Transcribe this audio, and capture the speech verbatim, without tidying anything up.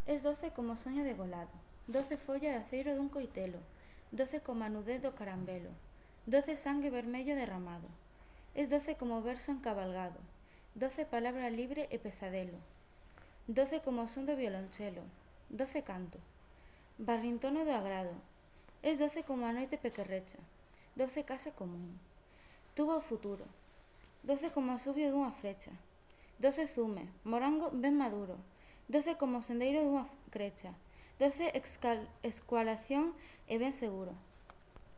Es doce como soño degolado, doce folla de aceiro dun coitelo, doce como a nudez do carambelo, doce sangue vermello derramado. Es doce como verso encabalgado, doce palabra libre e pesadelo, doce como o son do violonchelo, doce canto, barrintono do agrado. Es doce como a noite pequerrecha, doce casa común. Tuvo o futuro, doce como a subio dunha frecha, doce zume, morango ben maduro, doce como o sendeiro dunha crecha, doce escualación e ben seguro.